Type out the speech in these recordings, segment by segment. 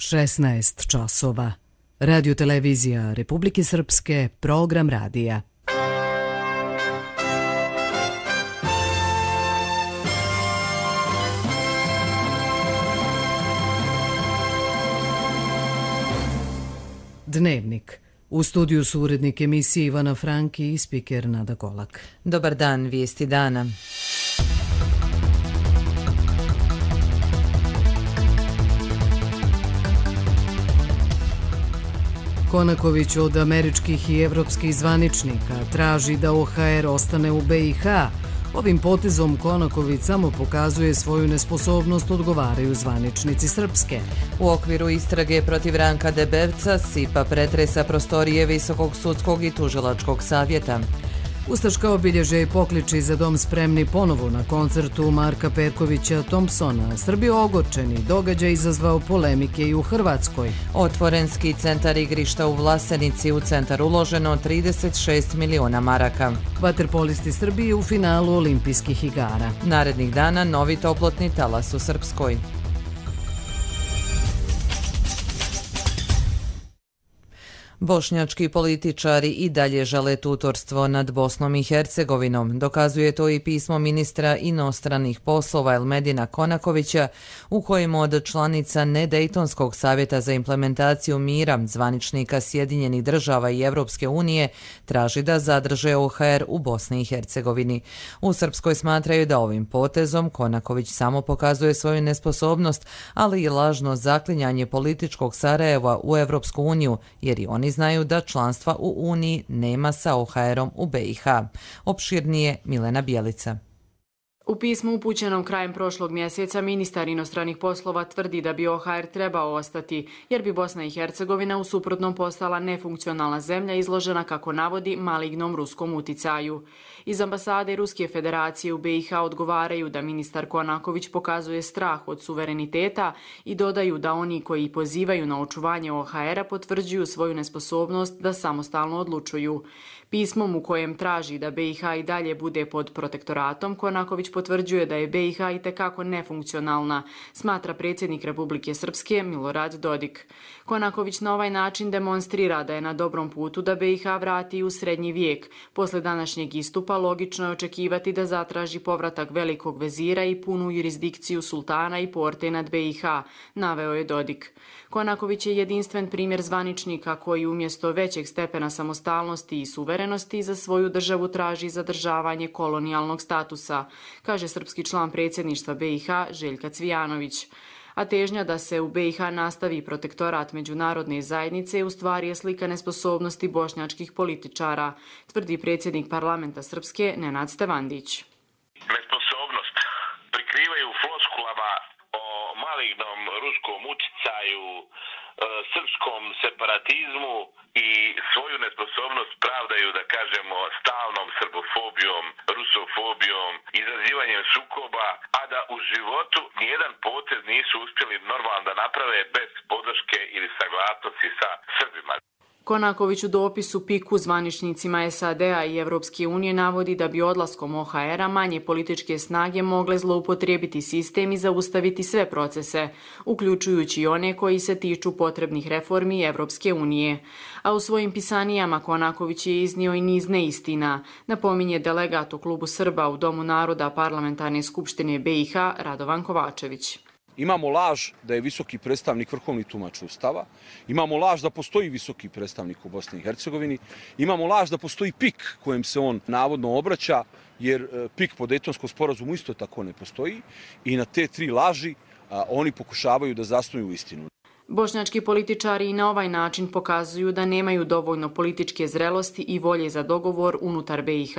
16 časova. Radio-televizija Republike Srpske, program radija. Dnevnik. U studiju su urednik emisije Ivana Franki i spiker Nada Golak. Dobar dan, vijesti dana. Konaković od američkih i evropskih zvaničnika traži da OHR ostane u BiH. Ovim potezom Konaković samo pokazuje svoju nesposobnost, odgovaraju zvaničnici Srpske. U okviru istrage protiv Ranka Debevca SIPA pretresa prostorije Visokog sudskog i tužilačkog savjeta. Ustaška obilježja i pokliči za dom spremni ponovo na koncertu Marka Perkovića Thompsona. Srbi ogorčeni, događaj izazvao polemike i u Hrvatskoj. Otvorenski centar igrišta u Vlasenici, u centar uloženo 36 miliona maraka. Vaterpolisti Srbije u finalu olimpijskih igara. Narednih dana novi toplotni talas u Srpskoj. Bošnjački političari i dalje žele tutorstvo nad Bosnom i Hercegovinom. Dokazuje to i pismo ministra inostranih poslova Elmedina Konakovića, u kojem od članica Nedejtonskog savjeta za implementaciju mira, zvaničnika Sjedinjenih država i Evropske unije, traži da zadrže OHR u Bosni i Hercegovini. U Srpskoj smatraju da ovim potezom Konaković samo pokazuje svoju nesposobnost, ali i lažno zaklinjanje političkog Sarajeva u Evropsku uniju, jer i oni znaju da članstva u Uniji nema sa OHR-om u BiH. Opširnije Milena Bjelica. U pismu upućenom krajem prošlog mjeseca ministar inostranih poslova tvrdi da bi OHR trebao ostati, jer bi Bosna i Hercegovina u suprotnom postala nefunkcionalna zemlja izložena, kako navodi, malignom ruskom uticaju. Iz ambasade Ruske federacije u BiH odgovaraju da ministar Konaković pokazuje strah od suvereniteta i dodaju da oni koji pozivaju na očuvanje OHR-a potvrđuju svoju nesposobnost da samostalno odlučuju. Pismom u kojem traži da BiH i dalje bude pod protektoratom, Konaković potvrđuje da je BiH itekako nefunkcionalna, smatra predsjednik Republike Srpske Milorad Dodik. Konaković na ovaj način demonstrira da je na dobrom putu da BiH vrati u srednji vijek. Posle današnjeg istupa logično je očekivati da zatraži povratak velikog vezira i punu jurisdikciju sultana i porte nad BiH, naveo je Dodik. Konaković je jedinstven primjer zvaničnika koji umjesto većeg stepena samostalnosti i suverenosti za svoju državu traži zadržavanje kolonijalnog statusa, kaže srpski član predsjedništva BiH Željka Cvijanović. A težnja da se u BiH nastavi protektorat međunarodne zajednice u stvari je slika nesposobnosti bošnjačkih političara, tvrdi predsjednik parlamenta Srpske Nenad Stevandić. Nesposobnost prikrivaju floskulama o malignom ruskom uticaju, srpskom separatizmu i svoju nesposobnost pravdaju, da kažemo, stalnom srbofobijom, rusofobijom, izazivanjem sukoba, a da u životu nijedan potez nisu uspjeli normalno da naprave bez podrške ili saglasnosti sa Srbima. Konaković u dopisu PIK-u zvaničnicima SAD-a i Evropske unije navodi da bi odlaskom OHR-a manje političke snage mogle zloupotrijebiti sistem i zaustaviti sve procese, uključujući i one koji se tiču potrebnih reformi Evropske unije. A u svojim pisanijama Konaković je iznio i niz neistina, napominje delegat u klubu Srba u Domu naroda Parlamentarne skupštine BiH Radovan Kovačević. Imamo laž da je visoki predstavnik vrhovni tumač Ustava, imamo laž da postoji visoki predstavnik u Bosni i Hercegovini, imamo laž da postoji PIK kojem se on navodno obraća, jer PIK po Dejtonskom sporazumu isto tako ne postoji, i na te tri laži oni pokušavaju da zasnuju istinu. Bošnjački političari i na ovaj način pokazuju da nemaju dovoljno političke zrelosti i volje za dogovor unutar BiH.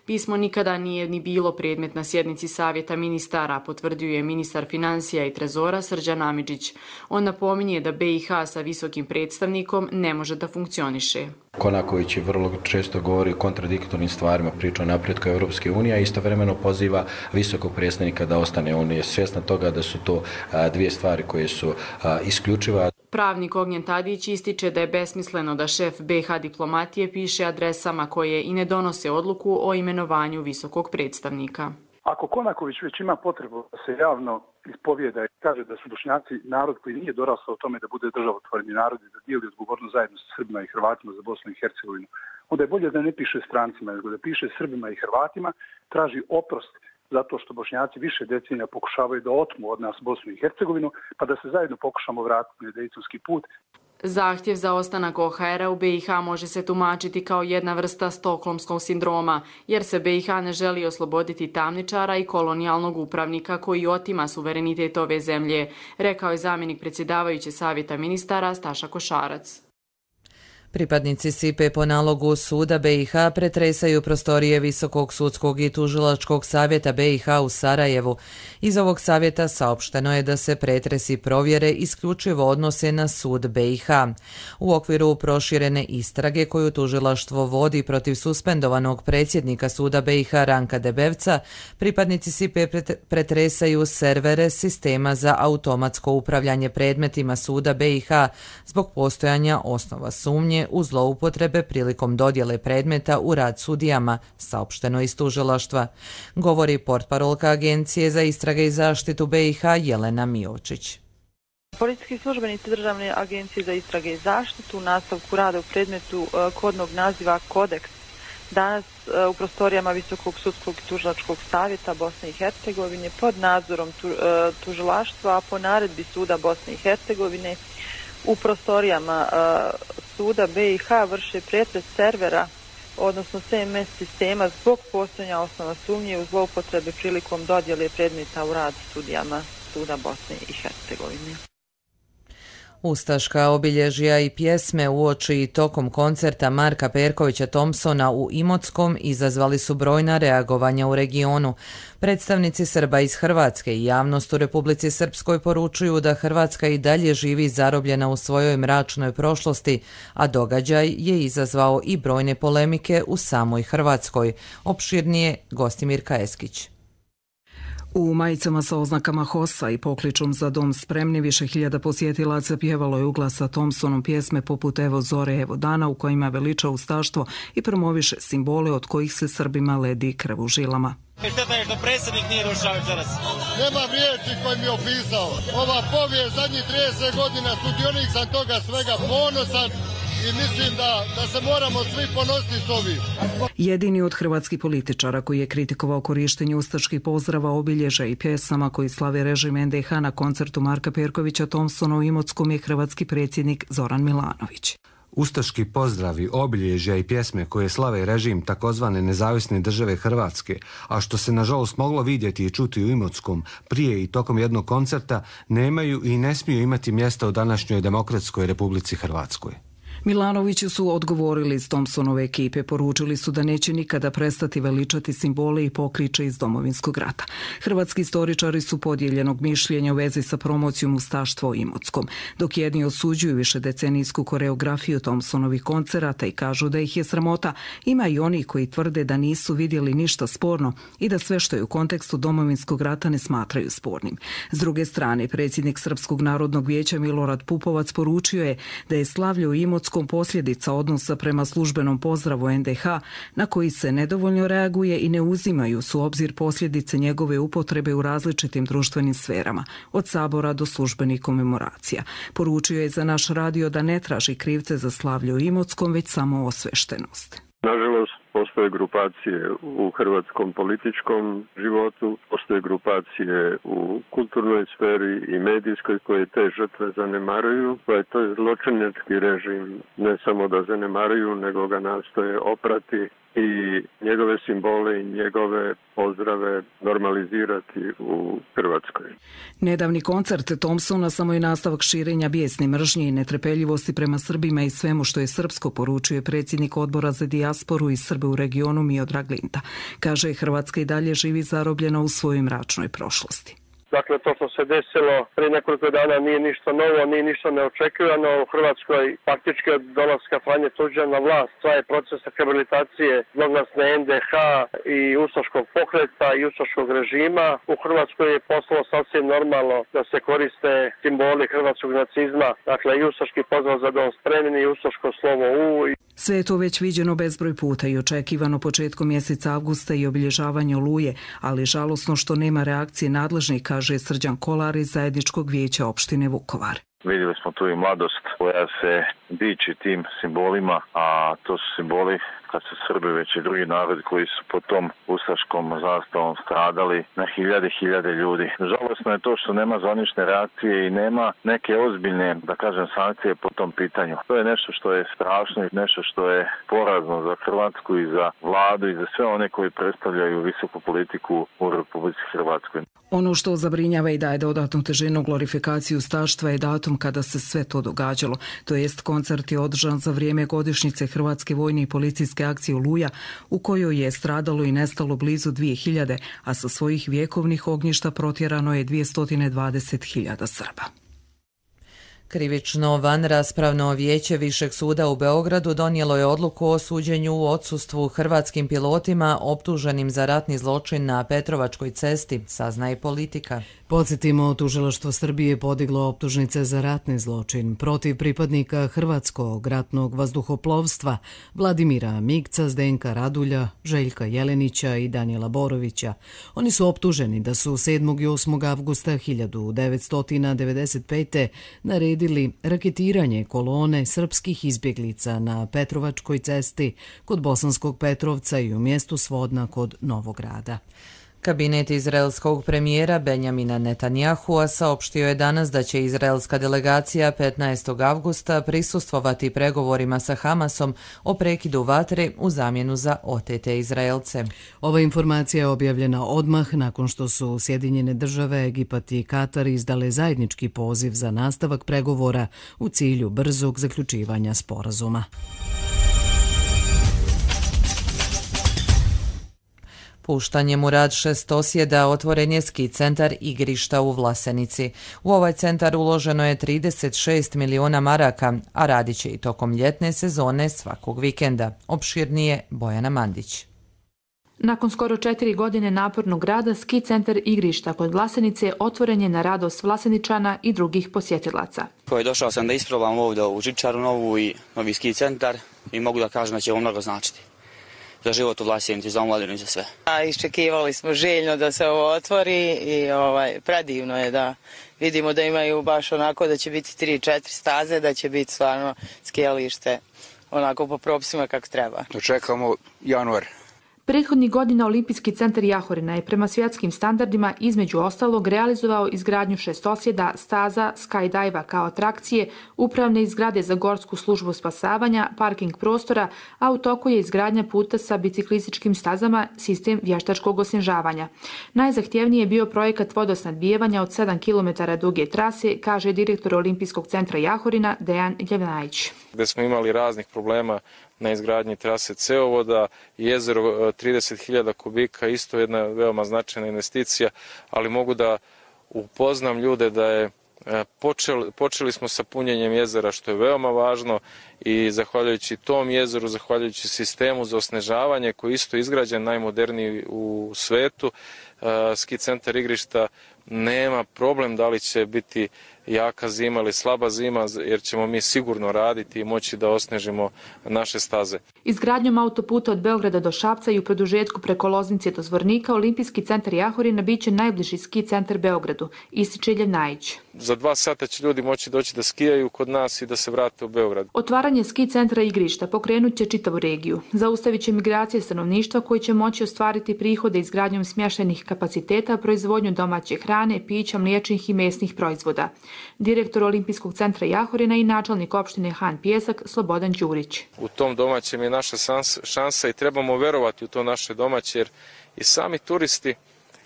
Pismo nikada nije ni bilo predmet na sjednici Savjeta ministara, potvrdio je ministar financija i trezora Srđan Amidžić. On napominje da BiH sa visokim predstavnikom ne može da funkcioniše. Konaković vrlo često govori o kontradiktornim stvarima, priča o napretku Evropske unije, a istovremeno poziva visokog predstavnika da ostane. On je svjestan toga da su to dvije stvari koje su isključive. Pravnik Ognjen Tadić ističe da je besmisleno da šef BiH diplomatije piše adresama koje i ne donose odluku o imenovanju visokog predstavnika. Ako Konaković već ima potrebu da se javno ispovijeda i kaže da su Bošnjaci narod koji nije dorastao tome da bude državotvorni narod i da dijeli odgovornost zajedno sa Srbima i Hrvatima za Bosnu i Hercegovinu, onda je bolje da ne piše strancima, nego da piše Srbima i Hrvatima, traži oprost zato što Bošnjaci više decenija pokušavaju da otmu od nas Bosnu i Hercegovinu, pa da se zajedno pokušamo vratiti na dejtonski put. Zahtjev za ostanak OHR-a u BiH može se tumačiti kao jedna vrsta stokholmskog sindroma, jer se BiH ne želi osloboditi tamničara i kolonijalnog upravnika koji otima suverenitet ove zemlje, rekao je zamjenik predsjedavajuće savjeta ministara Staša Košarac. Pripadnici SIPA po nalogu suda BiH pretresaju prostorije Visokog sudskog i tužilačkog savjeta BiH u Sarajevu. Iz ovog savjeta saopšteno je da se pretresi provjere isključivo odnose na sud BiH. U okviru proširene istrage koju tužilaštvo vodi protiv suspendovanog predsjednika suda BiH Ranka Debevca, pripadnici SIPA pretresaju servere sistema za automatsko upravljanje predmetima suda BiH zbog postojanja osnova sumnje u zloupotrebe prilikom dodjele predmeta u rad sudijama, saopšteno iz tužilaštva, govori portparolka Agencije za istrage i zaštitu BiH Jelena Miovčić. Policijski službenici Državne agencije za istrage i zaštitu u nastavku rada u predmetu kodnog naziva Kodeks danas u prostorijama Visokog sudskog i tužilačkog savjeta Bosne i Hercegovine pod nadzorom tužilaštva, a po naredbi suda Bosne i Hercegovine u prostorijama suda BiH vrše pretres servera, odnosno CMS sistema zbog postojanja osnova sumnje u zloupotrebe prilikom dodjele predmeta u rad sudijama suda Bosne i Hercegovine. Ustaška obilježja i pjesme uoči i tokom koncerta Marka Perkovića Thompsona u Imotskom izazvali su brojna reagovanja u regionu. Predstavnici Srba iz Hrvatske i javnost u Republici Srpskoj poručuju da Hrvatska i dalje živi zarobljena u svojoj mračnoj prošlosti, a događaj je izazvao i brojne polemike u samoj Hrvatskoj. Opširnije Gostimir Kaeskić. U majicama sa oznakama HOS-a i pokličom za dom spremni više hiljada posjetilaca pjevalo je u glas sa Thompsonom pjesme poput Evo zore, evo dana, u kojima veliča ustaštvo i promoviše simbole od kojih se Srbima ledi krv u žilama. Šteta je što predsjednik nije došao večeras. Nema riječi koji mi je opisao. Ova povijest zadnjih 30 godina, sudionik sam toga svega, ponosan i mislim da se moramo svi ponositi s ovim. Jedini od hrvatskih političara koji je kritikovao korištenje ustaških pozdrava, obilježja i pjesama koji slave režim NDH na koncertu Marka Perkovića Thompsona u Imotskom je hrvatski predsjednik Zoran Milanović. Ustaški pozdravi, obilježja i pjesme koje slave režim takozvane nezavisne države Hrvatske, a što se nažalost moglo vidjeti i čuti u Imotskom prije i tokom jednog koncerta, nemaju i ne smiju imati mjesta u današnjoj demokratskoj Republici Hrvatskoj. Milanoviću su odgovorili iz Thompsonove ekipe, poručili su da neće nikada prestati veličati simbole i pokliče iz Domovinskog rata. Hrvatski istoričari su podijeljenog mišljenja u vezi sa promocijom ustaštva u Imotskom, dok jedni osuđuju višedecenijsku koreografiju Thompsonovih koncerata i kažu da ih je sramota, ima i oni koji tvrde da nisu vidjeli ništa sporno i da sve što je u kontekstu Domovinskog rata ne smatraju spornim. S druge strane, predsjednik Srpskog narodnog vijeća Milorad Pupovac poručio je da je slavlje u Imotskom posljedica odnosa prema službenom pozdravu NDH na koji se nedovoljno reaguje i ne uzimaju su obzir posljedice njegove upotrebe u različitim društvenim sferama, od sabora do službenih komemoracija. Poručio je za naš radio da ne traži krivce za slavlje u Imotskom, već samo osveštenost. Nažalost, postoje grupacije u hrvatskom političkom životu, postoje grupacije u kulturnoj sferi i medijskoj koje te žrtve zanemaruju, pa je to zločinački režim ne samo da zanemaruju, nego ga nastoje oprati i njegove simbole i njegove pozdrave normalizirati u Hrvatskoj. Nedavni koncert Thompsona samo je nastavak širenja bijesne mržnje i netrpeljivosti prema Srbima i svemu što je srpsko, poručuje predsjednik odbora za dijasporu i Srbe u regionu Miodrag Linta. Kaže, Hrvatska i dalje živi zarobljena u svojoj mračnoj prošlosti. Dakle, to što se desilo prije nekoliko dana nije ništa novo, nije ništa neočekivano. U Hrvatskoj faktički od dolaska Franje Tuđmana na vlast traje proces rehabilitacije zloglasne NDH i ustaškog pokreta i ustaškog režima. U Hrvatskoj je postalo sasvim normalno da se koriste simboli hrvatskog nacizma, dakle i ustaški pozdrav za dom spremni i ustaško slovo U. Sve je to već viđeno bezbroj puta i očekivano početkom mjeseca avgusta i obilježavanje Oluje, ali žalosno što nema reakcije nadležnih, kaže Srđan Kolar iz Zajedničkog vijeća opštine Vukovar. Vidjeli smo tu i mladost koja se diči tim simbolima, a to su simboli kad su Srbi već i drugi narod koji su po tom ustaškom zastavom stradali na hiljade ljudi. Žalosno je to što nema zvanične reakcije i nema neke ozbiljne, da kažem, sankcije po tom pitanju. To je nešto što je strašno i nešto što je porazno za Hrvatsku i za vladu i za sve one koji predstavljaju visoku politiku u Republici Hrvatskoj. Ono što zabrinjava i daje dodatnu težinu glorifikaciju ustaštva je datum kada se sve to događalo. To jest koncert je održan za vrijeme godišnjice Hrvatske vojne i policijske akcije Oluja, u kojoj je stradalo i nestalo blizu 2000, a sa svojih vjekovnih ognjišta protjerano je 220.000 Srba. Krivično vanraspravno vijeće Višeg suda u Beogradu donijelo je odluku o suđenju u odsustvu hrvatskim pilotima optuženim za ratni zločin na Petrovačkoj cesti, saznaje Politika. Podsjetimo, tužilaštvo Srbije podiglo optužnice za ratni zločin protiv pripadnika Hrvatskog ratnog vazduhoplovstva Vladimira Migca, Zdenka Radulja, Željka Jelenića i Danijela Borovića. Oni su optuženi da su 7. i 8. avgusta 1995. naredili raketiranje kolone srpskih izbjeglica na Petrovačkoj cesti kod Bosanskog Petrovca i u mjestu Svodna kod Novograda. Kabinet izraelskog premijera Benjamina Netanjahua saopštio je danas da će izraelska delegacija 15. avgusta prisustvovati pregovorima sa Hamasom o prekidu vatre u zamjenu za otete Izraelce. Ova informacija je objavljena odmah nakon što su Sjedinjene države, Egipat i Katar izdale zajednički poziv za nastavak pregovora u cilju brzog zaključivanja sporazuma. Puštanjem u rad šestosjeda otvoren je ski centar Igrišta u Vlasenici. U ovaj centar uloženo je 36 miliona maraka, a radit će i tokom ljetne sezone svakog vikenda. Opširnije Bojana Mandić. Nakon skoro 4 godine napornog rada, ski centar Igrišta kod Vlasenice otvoren je na radost Vlaseničana i drugih posjetilaca. Došao sam da isprobam ovdje u Žičaru novi ski centar i mogu da kažem da će ovo mnogo značiti za život u Vlasenici, za omladinu i za sve. Iščekivali smo željno da se ovo otvori i predivno je da vidimo da imaju baš onako da će biti 3-4 staze, da će biti stvarno skijalište onako po propisima kako treba. Čekamo januar. Prethodnih godina Olimpijski centar Jahorina je prema svjetskim standardima između ostalog realizovao izgradnju šestosjeda, staza, skydajva kao atrakcije, upravne zgrade za gorsku službu spasavanja, parking prostora, a u toku je izgradnja puta sa biciklističkim stazama, sistem vještačkog osnježavanja. Najzahtjevniji je bio projekat vodosnadbijevanja od 7 km duge trase, kaže direktor Olimpijskog centra Jahorina Dejan Ljevnajić. Gde smo imali raznih problema na izgradnji trase cevovoda, jezero 30.000 kubika, isto jedna veoma značajna investicija, ali mogu da upoznam ljude da je počeli smo sa punjenjem jezera, što je veoma važno, i zahvaljujući tom jezeru, zahvaljujući sistemu za osnežavanje koji je isto izgrađen najmoderniji u svetu, ski centar Igrišta nema problem da li će biti jaka zima ili slaba zima, jer ćemo mi sigurno raditi i moći da osnežimo naše staze. Izgradnjom autoputa od Beograda do Šapca i u produžetku preko Loznice do Zvornika, Olimpijski centar Jahorina biće najbliži ski centar Beogradu, ističe Ljevnajić. Za 2 sata će ljudi moći doći da skijaju kod nas i da se vrate u Beograd. Otvaranje ski centra Igrišta pokrenut će čitavu regiju. Zaustavit će migracije stanovništva koji će moći ostvariti prihode izgradnjom smještajnih kapaciteta, proizvodnju domaće hrane, pića, mliječnih i mesnih proizvoda. Direktor Olimpijskog centra Jahorina i načelnik opštine Han Pijesak Slobodan Đurić. U tom domaćem je naša šansa i trebamo verovati u to naše domaće, jer i sami turisti,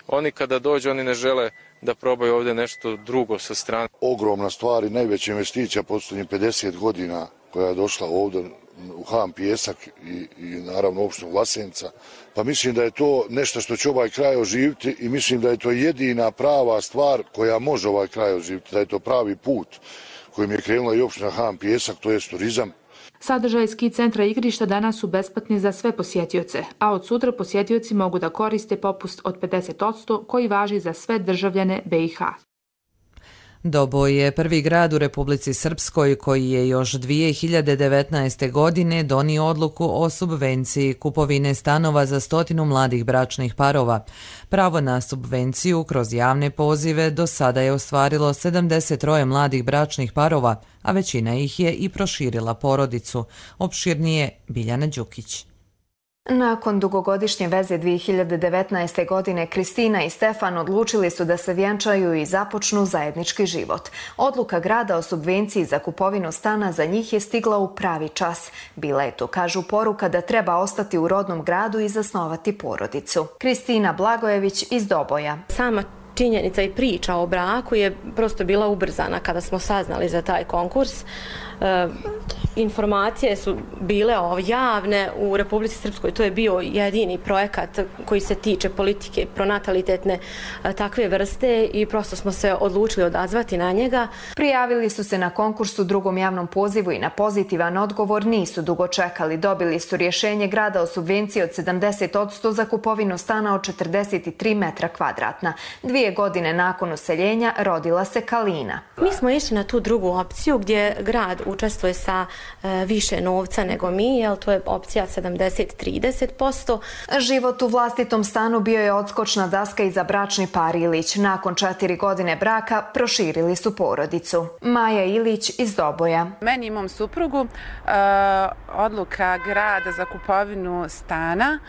oni kada dođu, oni ne žele da probaju ovdje nešto drugo sa strane. Ogromna stvar i najveća investicija posljednjih 50 godina koja je došla ovdje u Han Pijesak i naravno opštinu Vlasenica. Pa mislim da je to nešto što će ovaj kraj oživiti i mislim da je to jedina prava stvar koja može ovaj kraj oživiti, da je to pravi put kojim je krenula i opština Han Pijesak, to je turizam. Sadržaj ski centra Igrišta danas su besplatni za sve posjetioce, a od sutra posjetioci mogu da koriste popust od 50% koji važi za sve državljane BiH. Doboj je prvi grad u Republici Srpskoj koji je još 2019. godine donio odluku o subvenciji kupovine stanova za 100 mladih bračnih parova. Pravo na subvenciju kroz javne pozive do sada je ostvarilo 73 mladih bračnih parova, a većina ih je i proširila porodicu. Opširnije Biljana Đukić. Nakon dugogodišnje veze 2019. godine Kristina i Stefan odlučili su da se vjenčaju i započnu zajednički život. Odluka grada o subvenciji za kupovinu stana za njih je stigla u pravi čas. Bila je to, kažu, poruka da treba ostati u rodnom gradu i zasnovati porodicu. Kristina Blagojević iz Doboja. Sama činjenica i priča o braku je prosto bila ubrzana kada smo saznali za taj konkurs. Informacije su bile javne u Republici Srpskoj. To je bio jedini projekat koji se tiče politike pronatalitetne takve vrste i prosto smo se odlučili odazvati na njega. Prijavili su se na konkurs u drugom javnom pozivu i na pozitivan odgovor nisu dugo čekali. Dobili su rješenje grada o subvenciji od 70% za kupovinu stana od 43 metra kvadratna. 2 godine nakon useljenja rodila se Kalina. Mi smo išli na tu drugu opciju gdje grad učestvuje sa više novca nego mi, jer to je opcija 70-30%. Život u vlastitom stanu bio je odskočna daska i za bračni par Ilić. Nakon 4 godine braka proširili su porodicu. Maja Ilić iz Doboja. Meni i mom suprugu odluka grada za kupovinu stana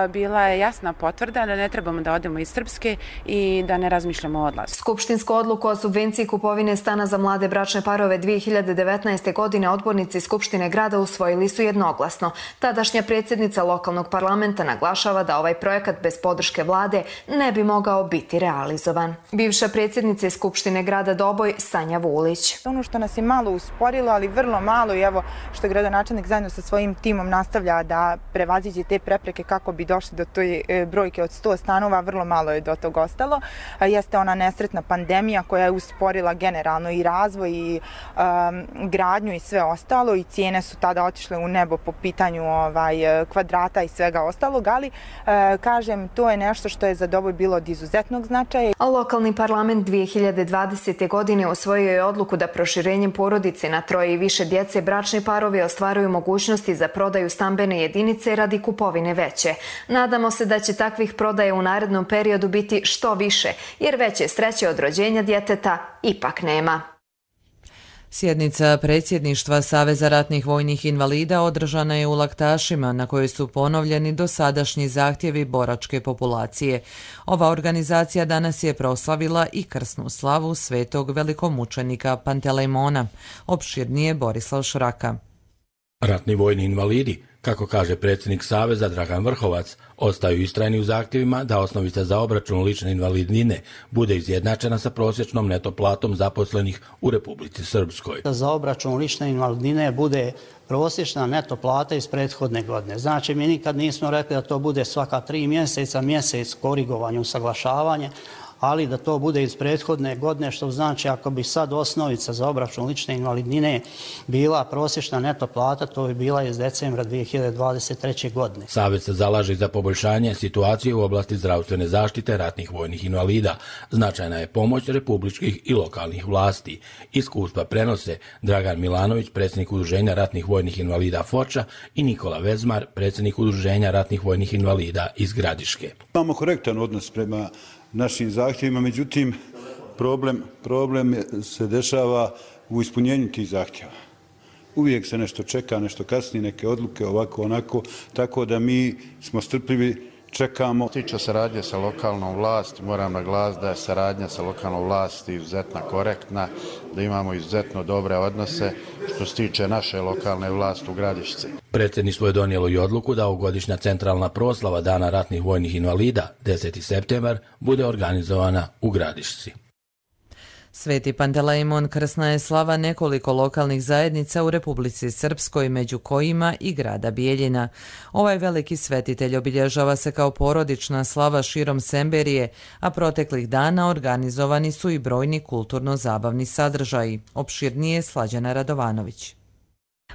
bila je jasna potvrda da ne trebamo da odemo iz Srpske i da ne razmišljamo o odlasku. Skupštinsku odluku o subvenciji kupovine stana za mlade bračne parove 2019. godine odbornici Skupštine grada usvojili su jednoglasno. Tadašnja predsjednica lokalnog parlamenta naglašava da ovaj projekat bez podrške vlade ne bi mogao biti realizovan. Bivša predsjednica Skupštine grada Doboj Sanja Vulić. Ono što nas je malo usporilo, ali vrlo malo, i evo što gradonačelnik zajedno sa svojim timom nastavlja da prevaziđe te prepreke kako bi došli do toj brojke od 100 stanova, vrlo malo je do tog ostalo. Jeste ona nesretna pandemija koja je usporila generalno i razvoj i gradnju i sve ostalo, i cijene su tada otišle u nebo po pitanju kvadrata i svega ostalog, ali kažem, to je nešto što je za Doboj bilo od izuzetnog značaja. Lokalni parlament 2020. godine usvojio je odluku da proširenjem porodice na 3 i više djece bračni parovi ostvaruju mogućnosti za prodaju stambene jedinice radi kupovine veće. Nadamo se da će takvih prodaja u narednom periodu biti što više, jer veće sreće od rođenja djeteta ipak nema. Sjednica predsjedništva Saveza ratnih vojnih invalida održana je u Laktašima, na kojoj su ponovljeni dosadašnji zahtjevi boračke populacije. Ova organizacija danas je proslavila i krsnu slavu svetog velikomučenika Pantelejmona. Opširnije Borislav Šraka. Ratni vojni invalidi, kako kaže predsjednik Saveza Dragan Vrhovac, ostaju istrajni u zahtjevima da osnovica za obračun lične invalidnine bude izjednačena sa prosječnom neto platom zaposlenih u Republici Srpskoj. Za obračun lične invalidnine bude prosječna neto plata iz prethodne godine. Znači, mi nikad nismo rekli da to bude svaka 3 mjeseca, mjesec korigovanje, usaglašavanje, ali da to bude iz prethodne godine, što znači ako bi sad osnovica za obračun lične invalidnine bila prosječna neto plata, to bi bila iz decembra 2023. godine. Savez se zalaže za poboljšanje situacije u oblasti zdravstvene zaštite ratnih vojnih invalida. Značajna je pomoć republičkih i lokalnih vlasti. Iskustva prenose Dragan Milanović, predsjednik Udruženja ratnih vojnih invalida Foča, i Nikola Vezmar, predsjednik Udruženja ratnih vojnih invalida iz Gradiške. Imamo korektan odnos prema našim zahtjevima, međutim problem se dešava u ispunjenju tih zahtjeva. Uvijek se nešto čeka, nešto kasnije, neke odluke, ovako, onako, tako da mi smo strpljivi, čekamo. Tiče saradnje sa lokalnom vlasti, moram naglasiti da je saradnja sa lokalnom vlasti izuzetno korektna, da imamo izuzetno dobre odnose što se tiče naše lokalne vlasti u Gradišci. Predsjedništvo je donijelo i odluku da ovogodišnja centralna proslava Dana ratnih vojnih invalida, 10. septembar, bude organizovana u Gradišci. Sveti Pantelejmon krsna je slava nekoliko lokalnih zajednica u Republici Srpskoj, među kojima i grada Bijeljina. Ovaj veliki svetitelj obilježava se kao porodična slava širom Semberije, a proteklih dana organizovani su i brojni kulturno-zabavni sadržaji. Opširnije Slađana Radovanović.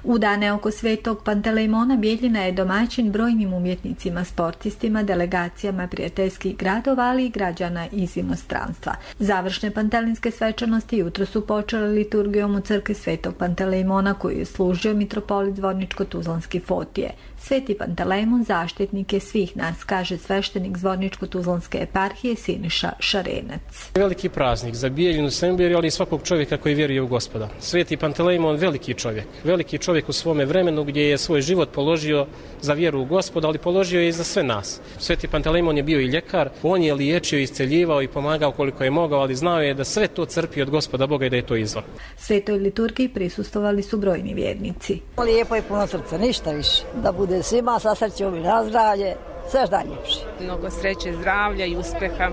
U dane oko Svetog Pantelejmona Bijeljina je domaćin brojnim umjetnicima, sportistima, delegacijama prijateljskih gradova, ali i građana iz inostranstva. Završne pantelinske svečanosti jutro su počele liturgijom u crkvi Svetog Pantelejmona koju je služio mitropolit Zvorničko-Tuzlanski Fotije. Sveti Pantelejmon zaštitnik je svih nas, kaže sveštenik Zvorničko-Tuzlanske eparhije Siniša Šarenac. Veliki praznik za Bijeljinu, Semberiju, ali i svakog čovjeka koji vjeruje u Gospoda. Sveti Pantelejmon veliki čovjek u svome vremenu gdje je svoj život položio za vjeru u Gospoda, ali položio je i za sve nas. Sveti Pantelejmon je bio i ljekar, on je liječio, isceljivao i pomagao koliko je mogao, ali znao je da sve to crpi od Gospoda Boga i da je to izvor. Svetoj liturgiji prisustvovali su brojni vjernici. Lijepo je puno srca, ništa više. Da bude svima sa srećom i na zdravlje, sve što najljepše. Mnogo sreće, zdravlja i uspeha,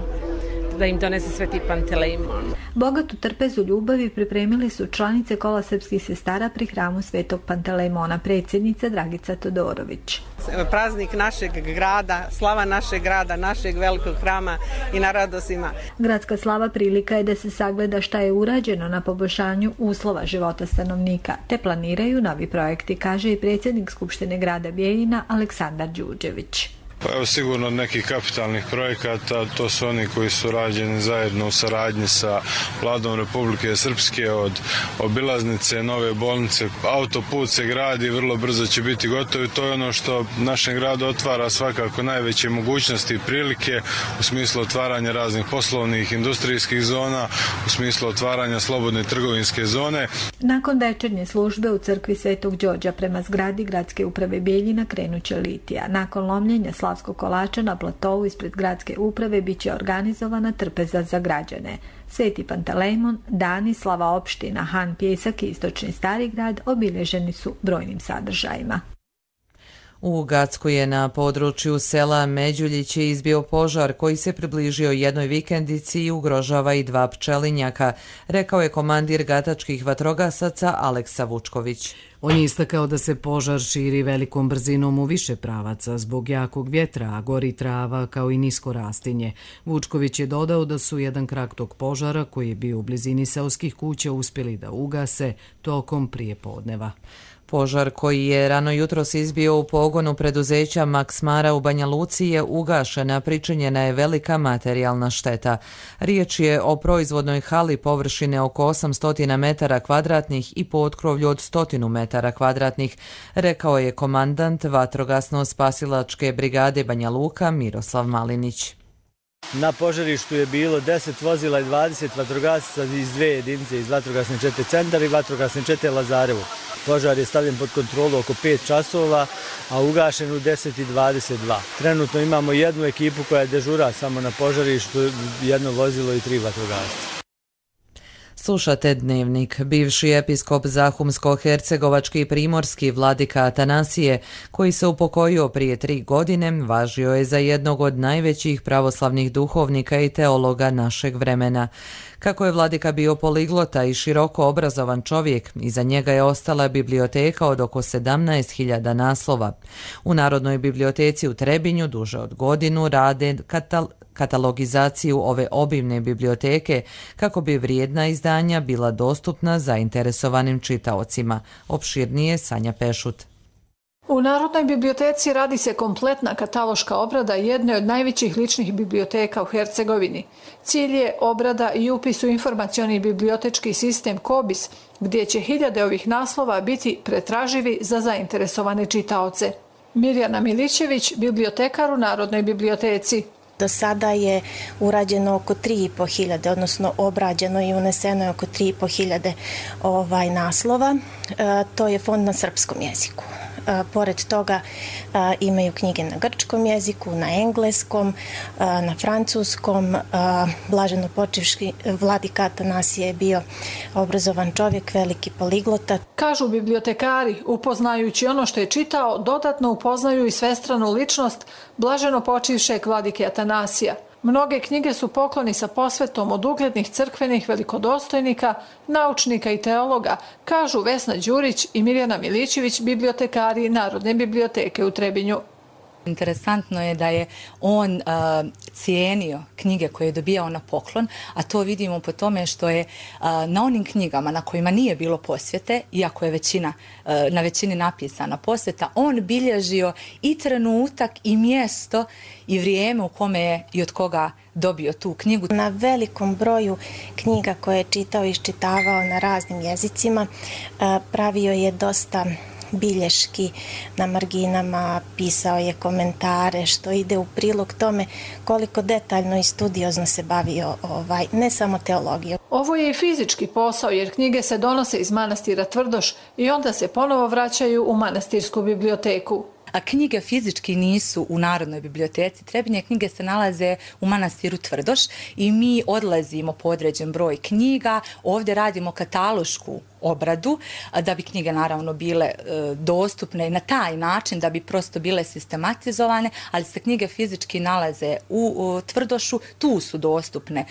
da im donese Sveti Pantelejmon. Bogatu trpezu ljubavi pripremili su članice kola srpskih sestara pri hramu Svetog Pantelejmona, predsjednica Dragica Todorović. Praznik našeg grada, slava našeg grada, našeg velikog hrama i na radostima. Gradska slava prilika je da se sagleda šta je urađeno na poboljšanju uslova života stanovnika, te planiraju novi projekti, kaže i predsjednik Skupštine grada Bijeljina Aleksandar Đurđević. Pa evo sigurno od nekih kapitalnih projekata, to su oni koji su rađeni zajedno u saradnji sa Vladom Republike Srpske, od obilaznice, nove bolnice, autoput se gradi, vrlo brzo će biti gotov i to je ono što našem gradu otvara svakako najveće mogućnosti i prilike u smislu otvaranja raznih poslovnih, industrijskih zona, u smislu otvaranja slobodne trgovinske zone. Nakon večernje službe u crkvi Svetog Đorđa prema zgradi gradske uprave Bijeljina krenuće litija. Nakon lomljenja slavskog kolača na platovu ispred gradske uprave biće organizovana trpeza za građane. Sveti Pantelejmon, dani, slava opština, Han Pjesak i istočni Stari grad obilježeni su brojnim sadržajima. U Gacku je na području sela Međuljiće izbio požar koji se približio jednoj vikendici i ugrožava i 2 pčelinjaka, rekao je komandir gatačkih vatrogasaca Aleksa Vučković. On je istakao da se požar širi velikom brzinom u više pravaca zbog jakog vjetra, a gori trava kao i nisko rastinje. Vučković je dodao da su jedan krak tog požara koji je bio u blizini seoskih kuća uspjeli da ugase tokom prijepodneva. Požar koji je rano jutros izbio u pogonu preduzeća Maksmara u Banja Luci je ugašena, pričinjena je velika materijalna šteta. Riječ je o proizvodnoj hali površine oko 800 metara kvadratnih i potkrovlju od 100 metara kvadratnih, rekao je komandant vatrogasno-spasilačke brigade Banja Luka Miroslav Malinić. Na požarištu je bilo 10 vozila i 20 vatrogasaca iz 2 jedinice, iz vatrogasne čete Centar i vatrogasne čete Lazarevo. Požar je stavljen pod kontrolu oko 5 časova, a ugašen u 10:22. Trenutno imamo jednu ekipu koja je dežura samo na požarištu, jedno vozilo i 3 vatrogasca. Slušate Dnevnik. Bivši episkop Zahumsko-hercegovački i primorski vladika Atanasije, koji se upokojio prije 3 godine, važio je za jednog od najvećih pravoslavnih duhovnika i teologa našeg vremena. Kako je vladika bio poliglota i široko obrazovan čovjek, iza njega je ostala biblioteka od oko 17.000 naslova. U Narodnoj biblioteci u Trebinju duže od godinu rade katalogizaciju ove obimne biblioteke kako bi vrijedna izdanja bila dostupna zainteresovanim čitaocima. Opširnije Sanja Pešut. U Narodnoj biblioteci radi se kompletna kataloška obrada jedne od najvećih ličnih biblioteka u Hercegovini. Cilj je obrada i upis u informacioni bibliotečki sistem KOBIS, gdje će hiljade ovih naslova biti pretraživi za zainteresovane čitaoce. Mirjana Milićević, bibliotekar u Narodnoj biblioteci. Do sada je urađeno oko 3.500, odnosno obrađeno i uneseno je oko 3.500 naslova. To je fond na srpskom jeziku. Pored toga imaju knjige na grčkom jeziku, na engleskom, na francuskom. Blaženo počivši vladika Atanasije je bio obrazovan čovjek, veliki poliglota. Kažu bibliotekari, upoznajući ono što je čitao, dodatno upoznaju i svestranu ličnost blaženo počivšeg vladike Atanasija. Mnoge knjige su pokloni sa posvetom od uglednih crkvenih velikodostojnika, naučnika i teologa, kažu Vesna Đurić i Mirjana Milićević, bibliotekari Narodne biblioteke u Trebinju. Interesantno je da je on cijenio knjige koje je dobijao na poklon, a to vidimo po tome što je na onim knjigama na kojima nije bilo posvete, iako je na većini napisana posveta, on bilježio i trenutak i mjesto i vrijeme u kome je i od koga dobio tu knjigu. Na velikom broju knjiga koje je čitao i iščitavao na raznim jezicima pravio je dosta bilješki na marginama, pisao je komentare, što ide u prilog tome koliko detaljno i studiozno se bavio ne samo teologijom. Ovo je i fizički posao jer knjige se donose iz manastira Tvrdoš i onda se ponovo vraćaju u manastirsku biblioteku. A knjige fizički nisu u Narodnoj biblioteci Trebinje, knjige se nalaze u manastiru Tvrdoš i mi odlazimo po određen broj knjiga, ovdje radimo katalošku obradu da bi knjige naravno bile dostupne na taj način da bi prosto bile sistematizovane, ali se knjige fizički nalaze u Tvrdošu, tu su dostupne.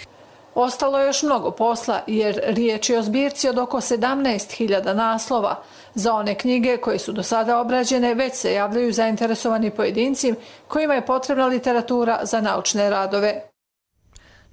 Ostalo je još mnogo posla jer riječ je o zbirci od oko 17.000 naslova. Za one knjige koje su do sada obrađene već se javljaju zainteresovani pojedinci kojima je potrebna literatura za naučne radove.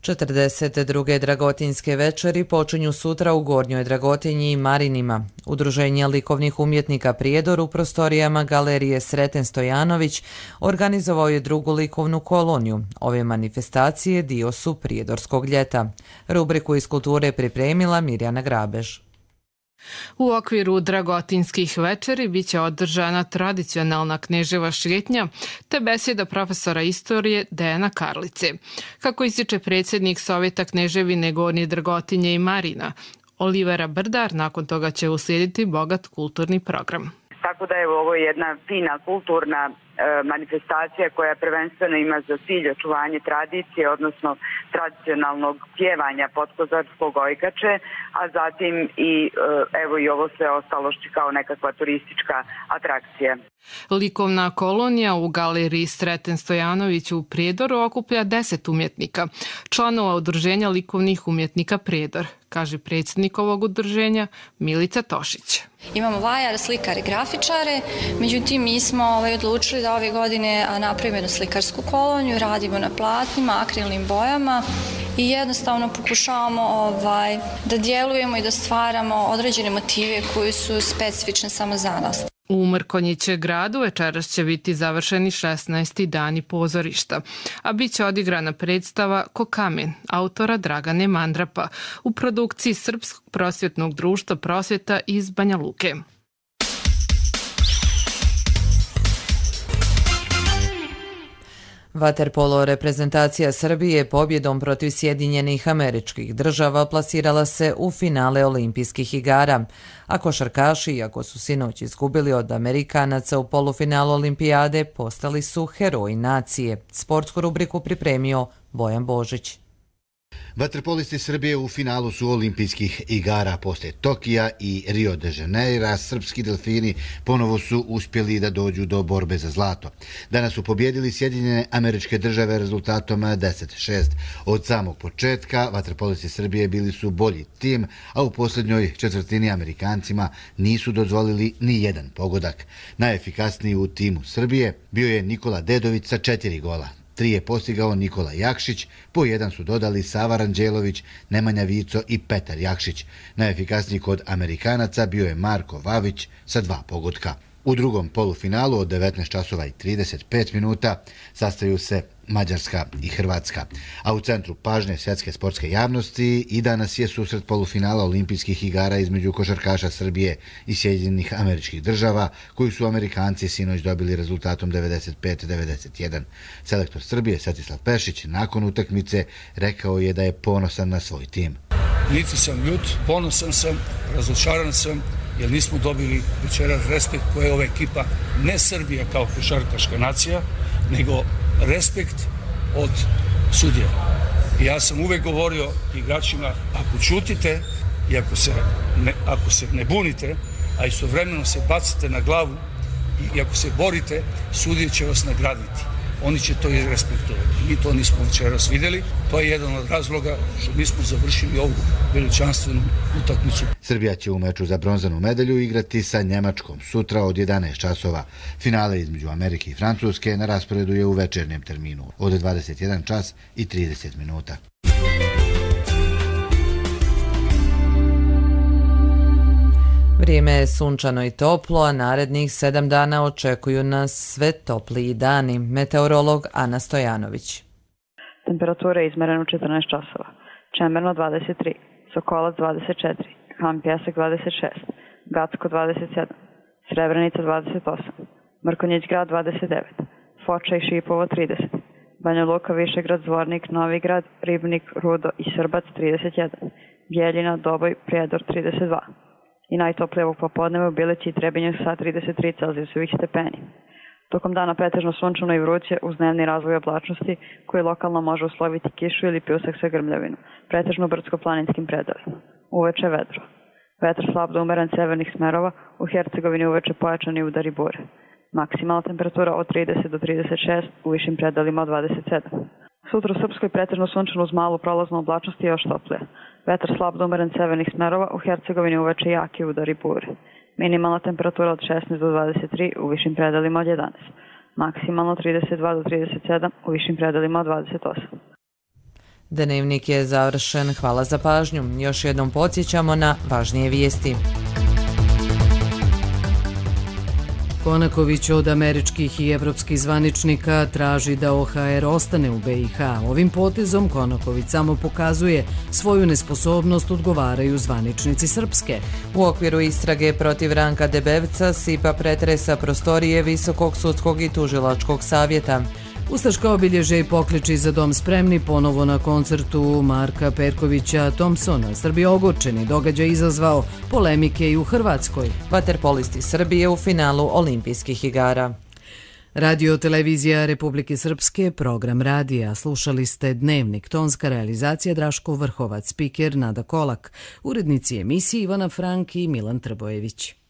42. Dragotinske večeri počinju sutra u Gornjoj Dragotinji i Marinima. Udruženje likovnih umjetnika Prijedor u prostorijama Galerije Sreten Stojanović organizovao je drugu likovnu koloniju. Ove manifestacije dio su Prijedorskog ljeta. Rubriku iz kulture pripremila Mirjana Grabež. U okviru Dragotinskih večeri biće održana tradicionalna knježeva šetnja te besjeda profesora istorije Dejana Karlice. Kako ističe predsjednik Sovjeta Kneževine Gornje Dragotinje i Marina, Olivera Brdar, nakon toga će uslijediti bogat kulturni program. Tako da je ovo jedna fina kulturna manifestacija koja prvenstveno ima za cilj očuvanje tradicije, odnosno tradicionalnog pjevanja podkozarskog ojkače, a zatim i ovo sve ostalo što kao nekakva turistička atrakcija. Likovna kolonija u Galeriji Sreten Stojanović u Prijedoru okuplja 10 umjetnika, članova udruženja likovnih umjetnika Prijedor, kaže predsjednik ovog udruženja Milica Tošić. Imamo vajare, slikare, grafičare, međutim mi smo odlučili da ove godine napravimo jednu slikarsku koloniju, radimo na platnima, akrilnim bojama i jednostavno pokušavamo da djelujemo i da stvaramo određene motive koji su specifične samo za nas. U Mrkonjiće gradu večeras će biti završeni 16. dani pozorišta, a bit će odigrana predstava Ko kamen, autora Dragane Mandrapa, u produkciji Srpskog prosvjetnog društva Prosvjeta iz Banja Luke. Vaterpolo reprezentacija Srbije pobjedom protiv Sjedinjenih Američkih Država plasirala se u finale olimpijskih igara, a košarkaši, iako su sinoć izgubili od Amerikanaca u polufinalu olimpijade, postali su heroji nacije. Sportsku rubriku pripremio Bojan Božić. Vaterpolisti Srbije u finalu su olimpijskih igara. Poslije Tokija i Rio de Janeira, srpski delfini ponovo su uspjeli da dođu do borbe za zlato. Danas su pobjedili Sjedinjene Američke Države rezultatom 10-6. Od samog početka vaterpolisti Srbije bili su bolji tim, a u posljednjoj četvrtini Amerikancima nisu dozvolili ni jedan pogodak. Najefikasniji u timu Srbije bio je Nikola Dedović sa 4 gola. 3 je postigao Nikola Jakšić, po 1 su dodali Sava Ranđelović, Nemanja Vico i Petar Jakšić. Najefikasniji kod Amerikanaca bio je Marko Vavić sa 2 pogotka. U drugom polufinalu od 19 časova i 35 minuta sastaju se Mađarska i Hrvatska. A u centru pažnje svjetske sportske javnosti i danas je susret polufinala olimpijskih igara između košarkaša Srbije i Sjedinjenih Američkih Država, koju su Amerikanci sinoć dobili rezultatom 95-91. Selektor Srbije Svetislav Pešić nakon utakmice rekao je da je ponosan na svoj tim. Niti sam ljut, ponosan sam, razočaran sam, jer nismo dobili večeras respekt koje je ova ekipa, ne Srbija kao košarkaška nacija, nego respekt od sudija. I ja sam uvek govorio igračima, ako čutite i ako se ne bunite, a istovremeno se bacite na glavu i ako se borite, sudije će vas nagraditi. oni će to i respektovati. Mi to nismo večeras vidjeli, to je jedan od razloga što mi smo završili ovu veličanstvenu utakmicu. Srbija će u meču za bronzanu medalju igrati sa Njemačkom sutra od 11 časova. Finale između Amerike i Francuske na rasporedu je u večernjem terminu od 21 čas i 30 minuta. Vrijeme je sunčano i toplo, a narednih 7 dana očekuju nas sve topliji dani. Meteorolog Ana Stojanović. Temperatura je izmerena u 14 časova. Čemerno 23, Sokolac 24, Han Pjesak 26, Gacko 27, Srebrenica 28, Mrkonjić grad 29, Foča i Šipovo 30, Banja Luka, Višegrad, Zvornik, Novigrad, Ribnik, Rudo i Srbac 31, Bjeljina, Doboj, Prijedor 32. I najtoplije ovog popodneva u Bilići i Trebinju sa 33 Celzijusovih stepeni. Tokom dana pretežno sunčano i vruće uz dnevni razvoj oblačnosti koji lokalno može usloviti kišu ili pljusak sa grmljavinu, pretežno brdsko-planinskim predalima. Uveče vedro. Vetar slab do umeren severnih smerova, u Hercegovini uveče pojačani udari bure. Maksimalna temperatura od 30 do 36, u višim predalima od 27. Sutra u Srpskoj pretežno sunčano uz malu prolaznu oblačnost i još toplije. Vetar slab do umeren severnih smerova, u Hercegovini uveče jaki udari bure. Minimalna temperatura od 16 do 23, u višim predalima od 11. Maksimalno 32 do 37, u višim predalima od 28. Dnevnik je završen. Hvala za pažnju. Još jednom podsjećamo na važnije vijesti. Konaković od američkih i evropskih zvaničnika traži da OHR ostane u BiH. Ovim potezom Konaković samo pokazuje svoju nesposobnost, odgovaraju zvaničnici Srpske. U okviru istrage protiv Ranka Debevca SIPA pretresa prostorije Visokog sudskog i tužilačkog savjeta. Ustaška obilježe i pokliči za dom spremni ponovo na koncertu Marka Perkovića Thompsona. Srbi ogorčeni, događaj izazvao polemike i u Hrvatskoj. Vaterpolisti Srbije u finalu Olimpijskih igara. Radio televizija Republike Srpske, program radija. Slušali ste Dnevnik, tonska realizacija Draško Vrhovac, spiker Nada Kolak, urednici emisije Ivana Frank i Milan Trbojević.